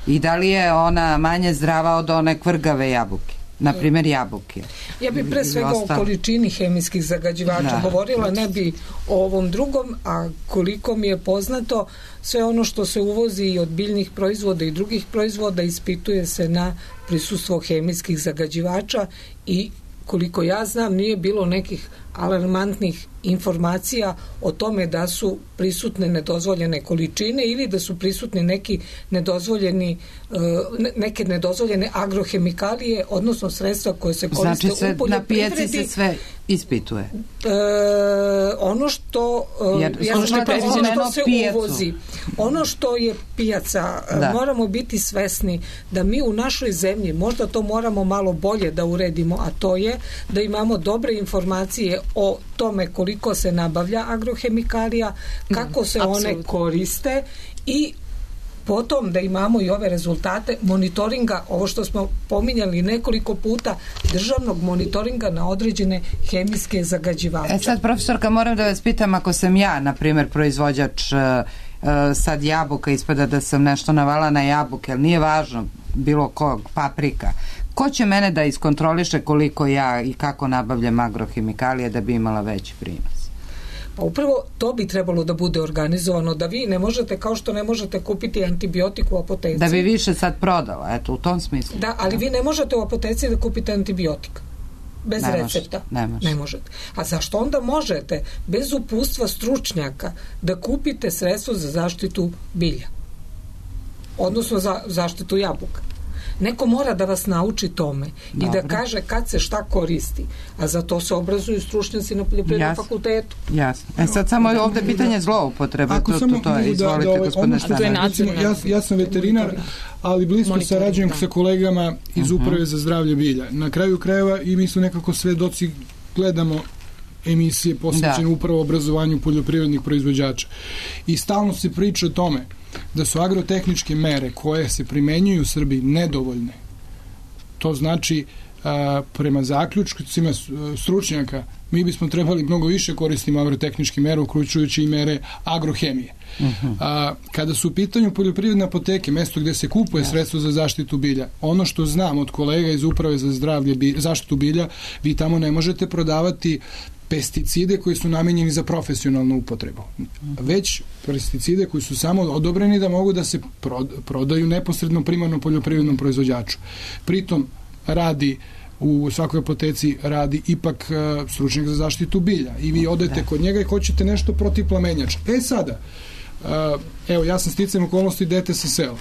i da li je ona manje zdrava od one kvrgave jabuke, na primjer jabuke. Ja bih pre svega o količini hemijskih zagađivača govorila, ne bi o ovom drugom, a koliko mi je poznato, sve ono što se uvozi i od biljnih proizvoda i drugih proizvoda ispituje se na prisustvo hemijskih zagađivača i koliko ja znam nije bilo nekih alarmantnih informacija o tome da su prisutne nedozvoljene količine ili da su prisutni neke nedozvoljene agrohemikalije, odnosno sredstva koje se koriste u poljoprivredi. Na pijaci se sve ispituje. Ono što se uvozi, ono što je pijaca, moramo biti svesni da mi u našoj zemlji, možda to moramo malo bolje da uredimo, a to je da imamo dobre informacije o tome koliko se nabavlja agrohemikalija, kako se one koriste i potom da imamo i ove rezultate monitoringa, ovo što smo pominjali nekoliko puta, državnog monitoringa na određene hemijske zagađivače. Sad, profesorka, moram da vas pitam, ako sam ja, na primjer, proizvođač sad jabuka, ispada da sam nešto navala na jabuke, ali nije važno, bilo kog, paprika. Ko će mene da iskontroliše koliko ja i kako nabavljam agrohemikalije da bi imala veći prinos? Pa upravo to bi trebalo da bude organizovano, da vi ne možete, kao što ne možete kupiti antibiotik u apoteci. Da bi više sad prodala, eto, u tom smislu. Da, ali vi ne možete u apoteci da kupite antibiotik. Bez recepta. Ne možete. A zašto onda možete, bez uputstva stručnjaka, da kupite sredstvo za zaštitu bilja? Odnosno za zaštitu jabuka. Neko mora da vas nauči tome i da kaže kad se šta koristi, a za to se obrazuju stručnjaci na poljoprivrednom fakultetu. Jasno. Sad samo je ovde pitanje zloupotrebe. To je, izvolite, gospodine Stanović. Ja sam veterinar, ali blisko sarađujem sa kolegama iz Uprave za zdravlje bilja. Na kraju krajeva i mi su nekako svedoci, gledamo emisije posvećene upravo obrazovanju poljoprivrednih proizvođača. I stalno se priča o tome da su agrotehničke mere koje se primenjuju u Srbiji nedovoljne. To znači, prema zaključcima stručnjaka, mi bismo trebali mnogo više koristiti agrotehničke mere, uključujući i mere agrohemije. Kada su u pitanju poljoprivredne apoteke, mesto gde se kupuje sredstvo za zaštitu bilja, ono što znam od kolega iz Uprave za zaštitu bilja, vi tamo ne možete prodavati pesticide koji su namenjeni za profesionalnu upotrebu, već pesticide koji su samo odobreni da mogu da se prodaju neposredno primarnom poljoprivrednom proizvođaču. Pritom radi u svakoj apoteci radi ipak stručnjak za zaštitu bilja i vi odete kod njega i hoćete nešto protiv plamenjača. Sada, evo, ja sam sticajem okolnosti dete sa sela.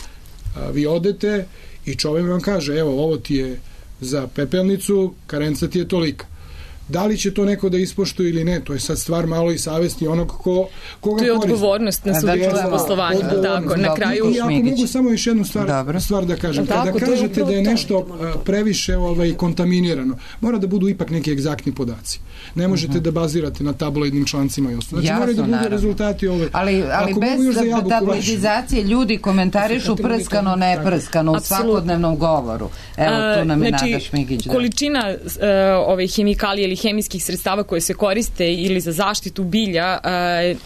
Vi odete i čovjek vam kaže, evo, ovo ti je za pepelnicu, karenca ti je tolika. Da li će to neko da ispoštuje ili ne, to je sad stvar malo i savesti onog koga koristi. To je odgovornost na subjektu poslovanja, tako, na kraju. I ako mogu samo još jednu stvar da kažem, kada kažete da je nešto previše kontaminirano, mora da budu ipak neki egzaktni podaci. Ne možete da bazirate na tabloidnim člancima i ostalo. Znači, moraju da budu rezultati ove. Ali bez tabloidizacije ljudi komentarišu prskano, ne prskano u svakodnevnom govoru. Evo, tu nam je Nada Šmigić. Količina hemikalije ili hemijskih sredstava koje se koriste ili za zaštitu bilja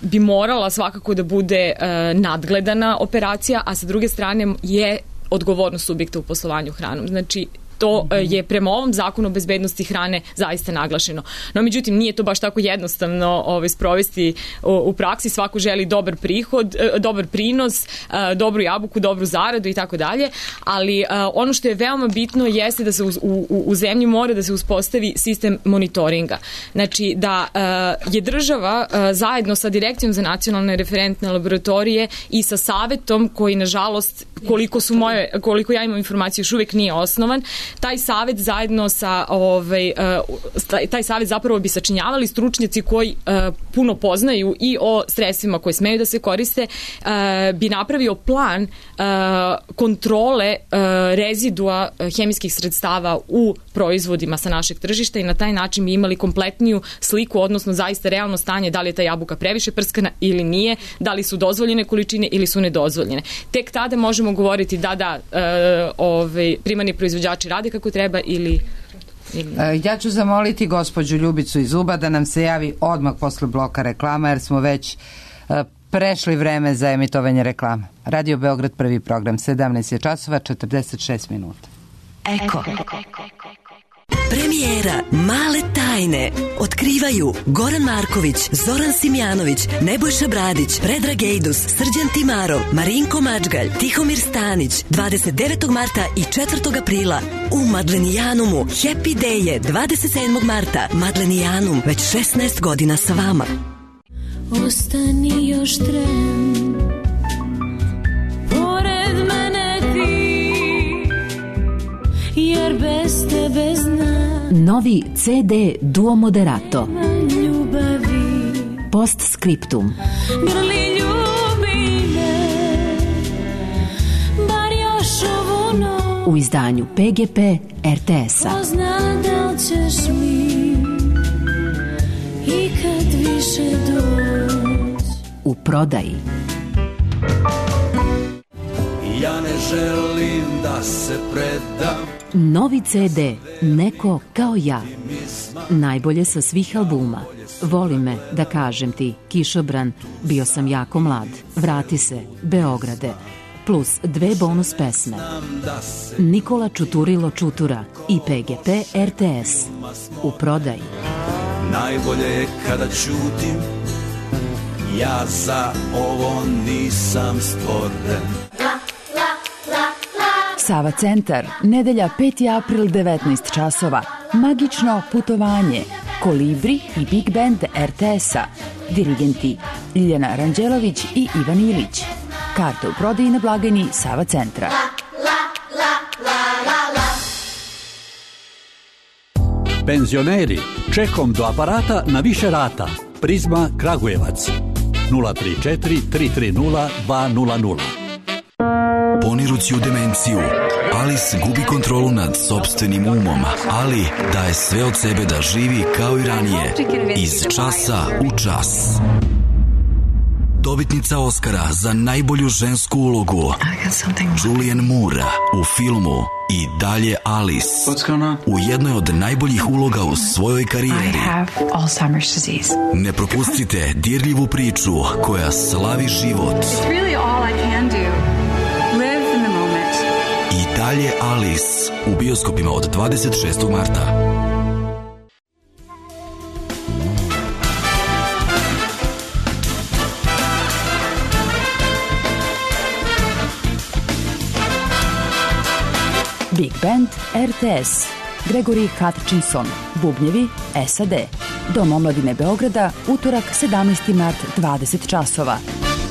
bi morala svakako da bude nadgledana operacija, a sa druge strane je odgovornost subjekta u poslovanju hranom. Znači, što je prema ovom zakonu o bezbednosti hrane zaista naglašeno. No, međutim, nije to baš tako jednostavno sprovesti u praksi. Svako želi dobar prihod, dobar prinos, dobru jabuku, dobru zaradu i tako dalje, ali ono što je veoma bitno jeste da se u zemlji mora da se uspostavi sistem monitoringa. Znači, da je država zajedno sa Direkcijom za nacionalne referentne laboratorije i sa savetom koji, nažalost, koliko ja imam informaciju, još uvijek nije osnovan, taj savet zajedno sa taj savet zapravo bi sačinjavali stručnjaci koji puno poznaju i o sredstvima koje smeju da se koriste, bi napravio plan kontrole rezidua hemijskih sredstava u proizvodima sa našeg tržišta i na taj način bi imali kompletniju sliku, odnosno zaista realno stanje da li je ta jabuka previše prskana ili nije, da li su dozvoljene količine ili su nedozvoljene. Tek tada možemo govoriti da primarni proizvođači rade kako treba ili... Ja ću zamoliti gospođu Ljubicu iz Uba da nam se javi odmah posle bloka reklama, jer smo već prešli vreme za emitovanje reklama. Radio Beograd, prvi program, 17 je časova, 46 minuta. Eko. Premijera Male tajne otkrivaju Goran Marković, Zoran Simjanović, Nebojša Bradić, Predrag Ejdus, Srđan Timarov, Marinko Mačgalj, Tihomir Stanić, 29. marta i 4. aprila u Madlenijanumu. Happy Day je 27. marta. Madlenijanum, već 16 godina sa vama. Ostani još tren, pored mene ti, jer bez tebe znam. Novi CD Duo Moderato. Postscriptum. Grli ljubi me, bar još ovu noć. U izdanju PGP RTS-a. Ko zna da li ćeš mi ikad više doći. U prodaji. Ja ne želim da se predam. Novi CD Neko kao ja. Najbolje sa svih albuma. Voli me, da kažem ti, Kišobran, Bio sam jako mlad, Vrati se, Beograde, plus 2 bonus pesme. Nikola Čuturilo Čutura i PGP RTS. U prodaji. Najbolje je kada ćutim, ja za ovo nisam stvoren. Sava centar, nedelja 5. april 19 časova. Magično putovanje. Kolibri i Big Band RTS-a. Dirigenti Ljiljana Ranđelović i Ivan Ilić. Karte u prodaji na blagajni Sava centra. Penzioneri, čekom do aparata na više rata. Prizma Kragujevac. 034 330 200. Ponirući u demenciju, Alice gubi kontrolu nad sopstvenim umom, ali daje sve od sebe da živi kao i ranije, iz časa u čas. Dobitnica Oscara za najbolju žensku ulogu, Julianne Moore, u filmu I dalje Alice, u jednoj od najboljih uloga u svojoj karijeri. Ne propustite dirljivu priču koja slavi život. I dalje Alice, u bioskopima od 26. marta. Big Band RTS. Gregory Hutchinson. Bubnjevi SAD. Dom omladine Beograda, utorak 17. mart 20 časova.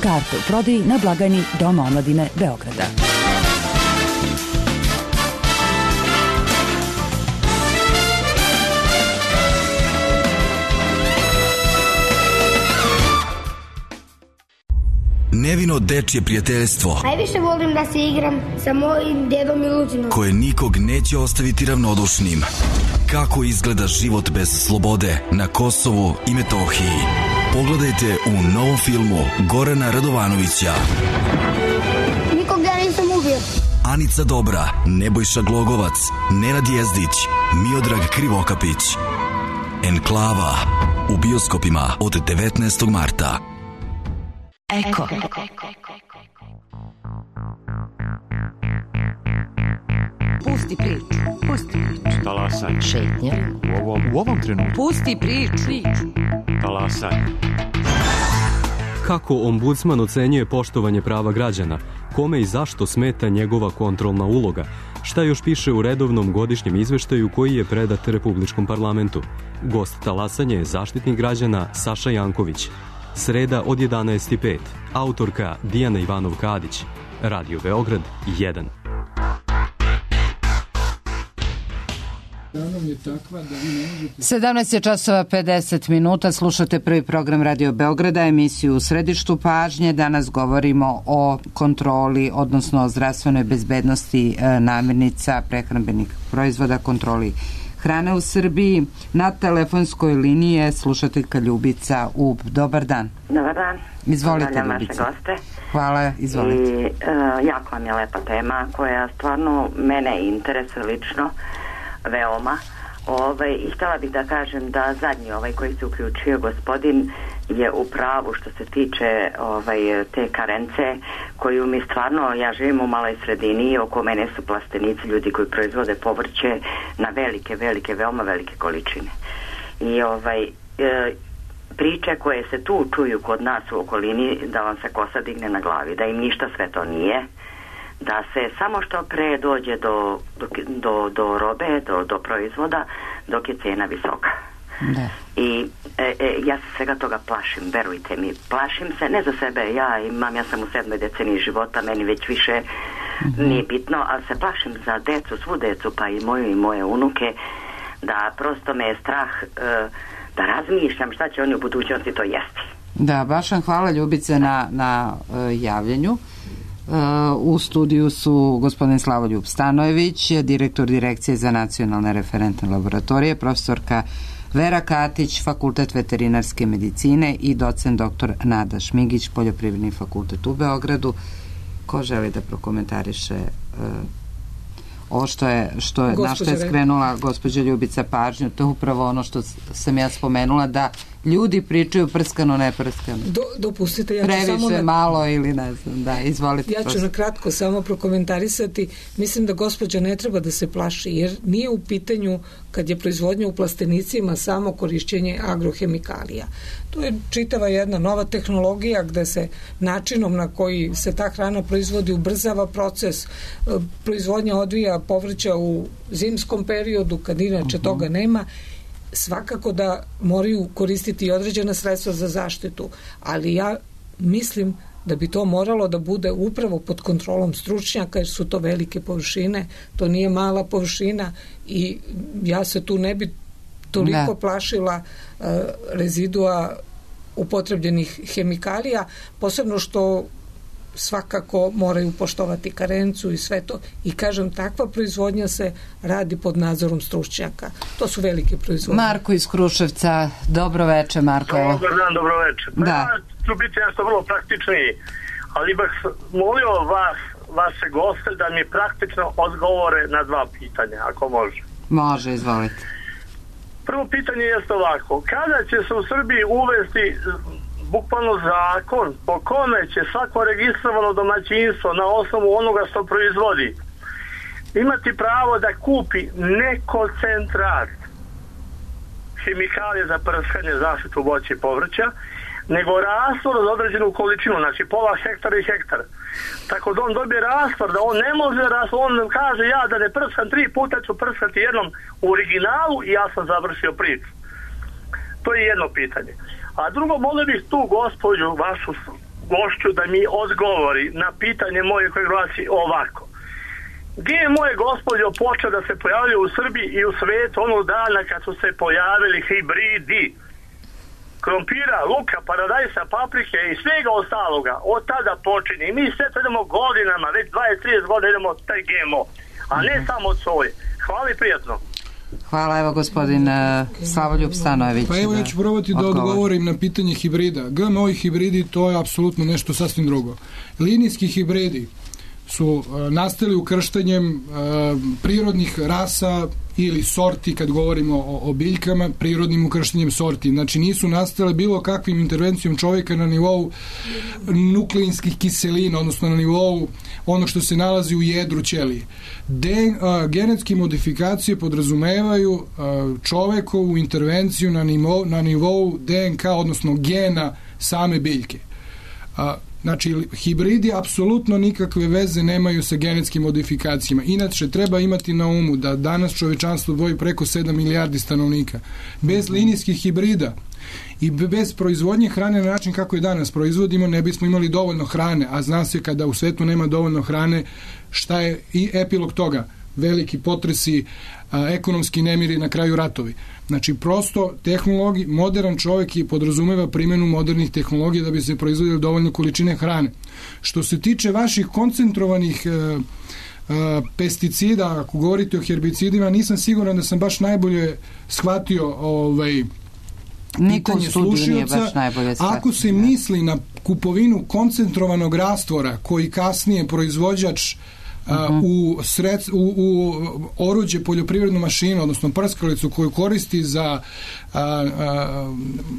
Karte u prodaji na blagajni Doma omladine Beograda. Nevino dečje prijateljstvo. Najviše volim da se igram sa mojim dedom Miluđinom. Koje nikog neće ostaviti ravnodušnim. Kako izgleda život bez slobode na Kosovu i Metohiji. Pogledajte u novom filmu Gorana Radovanovića. Nikog ja nisam ubio. Anica Dobra, Nebojša Glogovac, Nenad Jezdić, Miodrag Krivokapić. Enklava, u bioskopima od 19. marta. Eko. Pusti priču. Pusti priču. Talasaj. Šetnja. U ovom trenutku. Pusti priču. Talasaj. Kako ombudsman ocenjuje poštovanje prava građana? Kome i zašto smeta njegova kontrolna uloga? Šta još piše u redovnom godišnjem izveštaju koji je predat Republičkom parlamentu? Gost talasanja je zaštitnik građana Saša Janković. Sreda od 11:05. Autorka Dijana Ivanov-Kadić. Radio Beograd 1. 17 je časova 50 minuta, slušate prvi program Radio Beograda, emisiju U središtu pažnje. Danas govorimo o kontroli, odnosno o zdravstvenoj bezbednosti namirnica, prehrambenih proizvoda, kontroli hrane u Srbiji. Na telefonskoj liniji je slušateljka Ljubica Ub. Dobar dan. Dobar dan. Izvolite, Ljubica. Hvala, izvolite. I jako vam je lepa tema koja stvarno mene interesuje lično veoma. I htjela bih da kažem da zadnji koji se uključio gospodin je u pravu što se tiče te karence koju mi stvarno, ja živim u maloj sredini, oko mene su plastenici, ljudi koji proizvode povrće na velike, veoma velike količine. I priče koje se tu čuju kod nas u okolini, da vam se kosa digne na glavi, da im ništa sve to nije, da se samo što pre dođe do robe, do proizvoda, dok je cena visoka. Da. I ja se svega toga plašim, verujte mi. Plašim se, ne za sebe, ja sam u 7. deceniji života, meni već više nije bitno, ali se plašim za decu, svu decu, pa i moju i moje unuke, da prosto me je strah da razmišljam šta će oni u budućnosti to jesti. Da, baš vam hvala, Ljubice, na javljanju. U studiju su gospodin Slavoljub Stanojević, direktor Direkcije za nacionalne referentne laboratorije, profesorka Vera Katić, Fakultet veterinarske medicine i docent doktor Nada Šmigić, Poljoprivredni fakultet u Beogradu. Ko želi da prokomentariše ovo na što je skrenula gospođa Ljubica pažnju? To je upravo ono što sam ja spomenula, da ljudi pričaju prskano, ne prskano. Dopustite, ja ću previše, malo ili ne znam, da, izvolite. Ja ću na kratko samo prokomentarisati. Mislim da gospođa ne treba da se plaši, jer nije u pitanju, kad je proizvodnja u plastenicima, samo korišćenje agrohemikalija. To je čitava jedna nova tehnologija gde se načinom na koji se ta hrana proizvodi ubrzava proces. Proizvodnja odvija povrća u zimskom periodu, kad inače toga nema. Svakako da moraju koristiti i određena sredstva za zaštitu, ali ja mislim da bi to moralo da bude upravo pod kontrolom stručnjaka, jer su to velike površine, to nije mala površina i ja se tu ne bi toliko plašila rezidua upotrebljenih hemikalija, posebno što svakako moraju poštovati karencu i sve to. I kažem, takva proizvodnja se radi pod nadzorom stručnjaka. To su velike proizvodnje. Marko iz Kruševca, dobro veče, Marko. Dobar dan, dobro veče. Da. Ja ću biti nešto vrlo praktičniji, ali bih molio vaše goste da mi praktično odgovore na 2 pitanja, ako može. Može, izvolite. Prvo pitanje jeste ovako. Kada će se u Srbiji uvesti bukvalno zakon po kome će svako registrovano domaćinstvo na osnovu onoga što proizvodi imati pravo da kupi ne koncentrat hemikalije za prskanje, zaštitu voća i povrća, nego rastvor za određenu količinu, znači pola hektara i hektar. Tako da on dobije rastvor, da on ne može on kaže ja da ne prskam 3 puta, ću prskati jednom u originalu i ja sam završio priču. To je jedno pitanje. A drugo, molio bih tu gospođu, vašu gošću, da mi odgovori na pitanje moje koje glasi ovako. GMO je, gospođo, počeo da se pojavljaju u Srbiji i u svetu onog dana kad su se pojavili hibridi krompira, luka, paradajsa, paprike i svega ostaloga. Od tada počinje. I mi sve to idemo godinama, već 20-30 godina idemo taj GMO, a ne samo od soje. Hvala i prijatno. Hvala, evo gospodin Slavoljub Stanojević. Pa evo, ja ću probati da odgovorim na pitanje hibrida. GMO i hibridi, to je apsolutno nešto sasvim drugo. Linijski hibridi su nastali ukrštanjem prirodnih rasa ili sorti, kad govorimo o biljkama, prirodnim ukrštanjem sorti. Znači nisu nastale bilo kakvim intervencijom čovjeka na nivou nukleinskih kiselina, odnosno na nivou ono što se nalazi u jedru ćelije. Genetske modifikacije podrazumevaju čovekovu intervenciju na nivou DNK, odnosno gena same biljke. Znači, hibridi apsolutno nikakve veze nemaju sa genetskim modifikacijama. Inače, treba imati na umu da danas čovečanstvo broji preko 7 milijardi stanovnika. Bez linijskih hibrida i bez proizvodnje hrane na način kako je danas proizvodimo, ne bismo imali dovoljno hrane, a zna se kada u svetu nema dovoljno hrane, šta je i epilog toga? Veliki potresi, ekonomski nemiri, na kraju ratovi. Znači, prosto tehnologi, modern čovjek i podrazumeva primjenu modernih tehnologija da bi se proizvodili dovoljne količine hrane. Što se tiče vaših koncentrovanih pesticida, ako govorite o herbicidima, nisam siguran da sam baš najbolje shvatio pitanje slušioca. Ako se misli kupovinu koncentrovanog rastvora koji kasnije proizvođač u oruđe, poljoprivrednu mašinu, odnosno prskalicu koju koristi za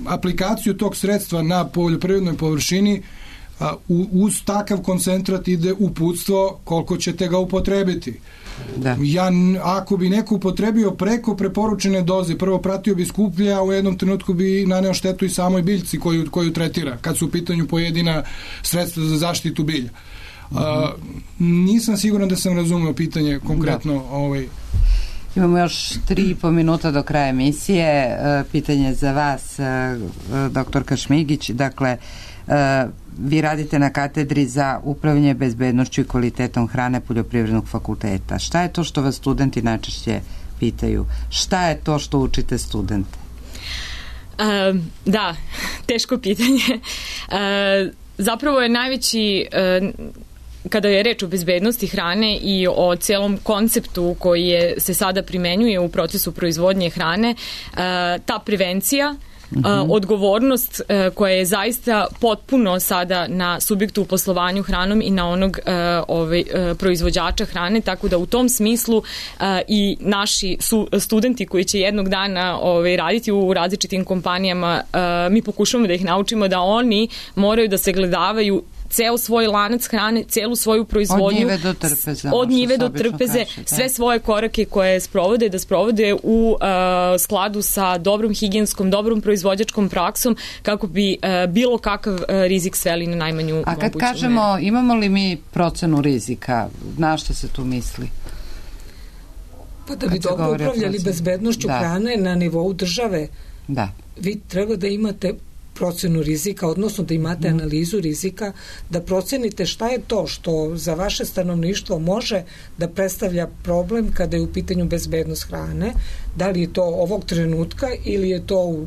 aplikaciju tog sredstva na poljoprivrednoj površini, uz takav koncentrat ide uputstvo koliko ćete ga upotrebiti. Da. Ako bi neko upotrebio preko preporučene doze, prvo pratio bi skuplje, a u jednom trenutku bi naneo štetu i samoj biljci koju tretira, kad su u pitanju pojedina sredstva za zaštitu bilja. Nisam siguran da sam razumeo pitanje konkretno. Imamo još 3,5 minuta do kraja emisije. Pitanje za vas, doktorka Šmigić. Dakle, vi radite na katedri za upravljanje bezbednošću i kvalitetom hrane Poljoprivrednog fakulteta. Šta je to što vas studenti najčešće pitaju? Šta je to što učite studente? Da, teško pitanje. Zapravo je najveći, kada je reč o bezbednosti hrane i o celom konceptu koji se sada primenjuje u procesu proizvodnje hrane, ta prevencija, odgovornost koja je zaista potpuno sada na subjektu u poslovanju hranom i na onog proizvođača hrane, tako da u tom smislu i naši studenti koji će jednog dana raditi u različitim kompanijama, mi pokušamo da ih naučimo da oni moraju da se gledavaju ceo svoj lanac hrane, celu svoju proizvodnju, od njive do trpeze, sve svoje korake koje sprovode, da sprovode u skladu sa dobrom higijenskom, dobrom proizvođačkom praksom, kako bi bilo kakav rizik sveli na najmanju moguću. A kad kažemo, imamo li mi procenu rizika, na što se tu misli? Pa da bi dobro upravljali bezbednošću hrane na nivou države, vi treba da imate procenu rizika, odnosno da imate analizu rizika, da procenite šta je to što za vaše stanovništvo može da predstavlja problem kada je u pitanju bezbednost hrane, da li je to ovog trenutka ili je to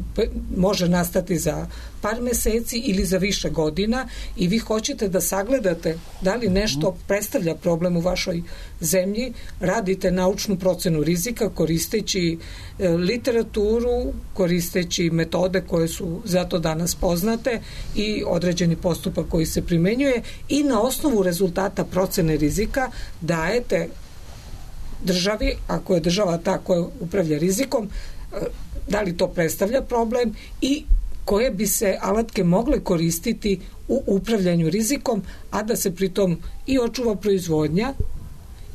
može nastati za par meseci ili za više godina i vi hoćete da sagledate da li nešto predstavlja problem u vašoj zemlji, radite naučnu procenu rizika koristeći literaturu, koristeći metode koje su zato danas poznate i određeni postupak koji se primenjuje i na osnovu rezultata procene rizika dajete državi, ako je država ta koja upravlja rizikom, da li to predstavlja problem i koje bi se alatke mogle koristiti u upravljanju rizikom, a da se pritom i očuva proizvodnja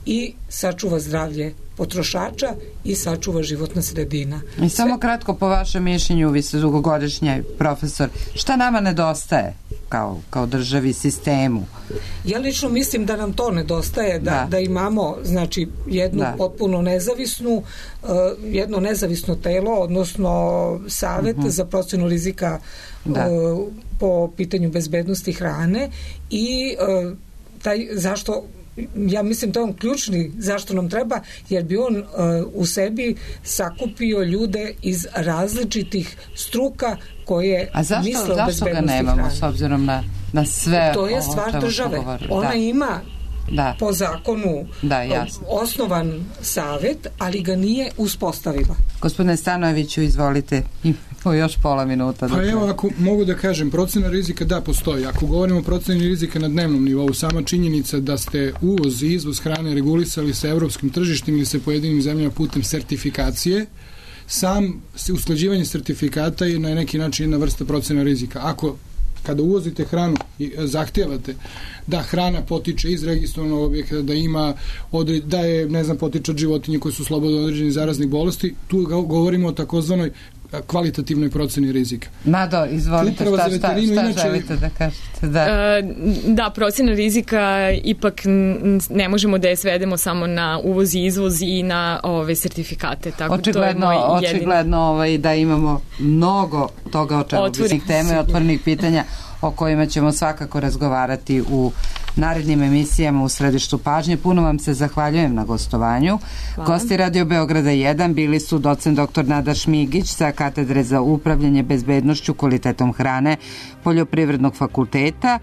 i sačuva zdravlje potrošača i sačuva životna sredina. I samo kratko, po vašem mišljenju, vi ste dugogodišnji profesor, šta nama nedostaje kao državi, sistemu? Ja lično mislim da nam to nedostaje, da imamo znači jednu potpuno jedno nezavisno telo, odnosno savet za procenu rizika po pitanju bezbednosti hrane i zašto ja mislim da je on ključni zašto nam treba, jer bi on u sebi sakupio ljude iz različitih struka koje misle o bezbednosti hrane. A zašto ga nemamo s obzirom na sve? To je stvar države. Ona ima po zakonu osnovan savet, ali ga nije uspostavila. Gospodine Stanojeviću, izvolite. Imamo još pola minuta. Pa evo, ako mogu da kažem, procena rizika da postoji. Ako govorimo o proceni rizika na dnevnom nivou, sama činjenica da ste uvoz i izvoz hrane regulisali sa evropskim tržištem ili sa pojedinim zemljama putem sertifikacije, sam usklađivanje sertifikata je na neki način jedna vrsta procena rizika. Kada uvozite hranu i zahtevate da hrana potiče iz registrovanog objekta, da je, ne znam, potiče od životinje koje su slobodno određeni zaraznih bolesti, tu govorimo o takozvanoj kvalitativnoj proceni rizika. Nado, izvolite, šta želite da kažete? Da, procena rizika ipak ne možemo da je svedemo samo na uvoz i izvoz i na ove sertifikate. Tako očigledno da imamo mnogo toga o čemu teme i otvorenih pitanja o kojima ćemo svakako razgovarati u narednim emisijama u središtu pažnje. Puno vam se zahvaljujem na gostovanju. Hvala. Gosti Radio Beograda 1 bili su docent dr. Nada Šmigić sa katedre za upravljanje bezbednošću, kvalitetom hrane Poljoprivrednog fakulteta,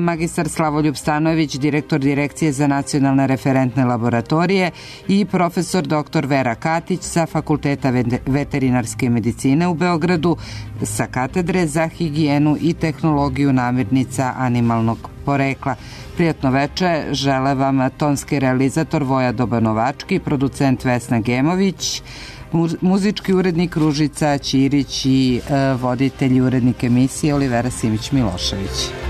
magistar Slavoljub Stanojević, direktor Direkcije za nacionalne referentne laboratorije i profesor dr. Vera Katić sa Fakulteta veterinarske medicine u Beogradu sa katedre za higijenu i tehnologiju namirnica animalnog porekla. Prijatno veče, žele vam tonski realizator Voja Dobanovački, producent Vesna Gemović, muzički urednik Ružica Ćirić i voditelj i urednik emisije Olivera Simić Milošević.